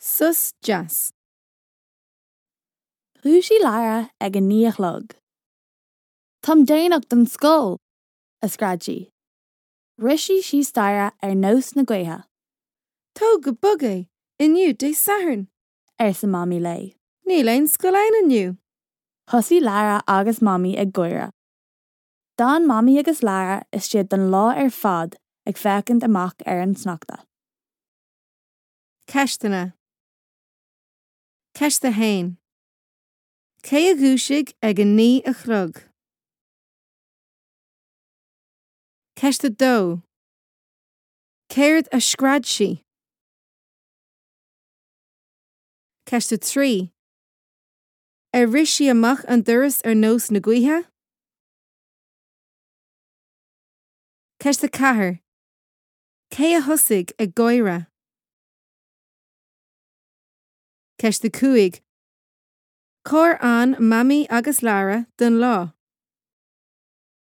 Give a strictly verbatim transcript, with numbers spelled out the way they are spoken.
Sos deas. Dhúisigh Lara ag a naoi a chlog. Táim déanach don scoil, a scread sí. Rith sí síos staighre ar nós na gaoithe. Tóg go bog é, inniu Dé Sathairn, arsa Mamaí léi. Níl aon scoil ann inniu. Thosaigh Lara agus Mamaí ag gáire. D'fhan Mamaí agus Lara istigh don lá ar fad ag féachaint amach ar an sneachta. Ceisteanna. Ceist a haon. Cé a dhúisigh ag a naoi a chlog? Ceist a dó. Céard a scread sí? Ceist a trí. Ar rith sí amach an doras ar nós na gaoithe? Ceist a ceathair. Cé a thosaigh ag gáire? Ceist a cúig. Cár fhan Mamaí agus Lara don lá?